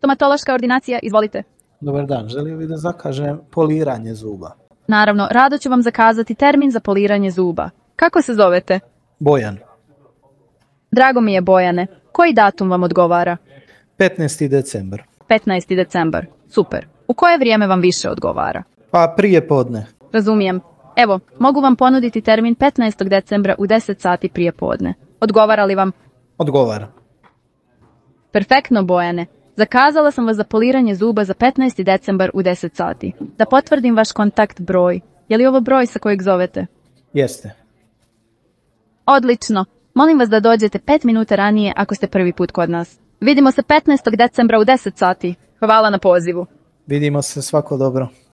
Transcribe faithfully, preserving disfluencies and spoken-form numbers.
Stomatološka ordinacija, izvolite. Dobar dan, želio bih da zakažem poliranje zuba. Naravno, rado ću vam zakazati termin za poliranje zuba. Kako se zovete? Bojan. Drago mi je, Bojane. Koji datum vam odgovara? petnaesti decembar. petnaesti decembar. Super. U koje vrijeme vam više odgovara? Pa prije podne. Razumijem. Evo, mogu vam ponuditi termin petnaestog decembra u deset sati prije podne. Odgovara li vam? Odgovara. Perfektno, Bojane. Zakazala sam vas za poliranje zuba za petnaesti decembar u deset sati. Da potvrdim vaš kontakt broj. Je li ovo broj sa kojeg zovete? Jeste. Odlično. Molim vas da dođete pet minuta ranije ako ste prvi put kod nas. Vidimo se petnaestog decembra u deset sati. Hvala na pozivu. Vidimo se, svako dobro.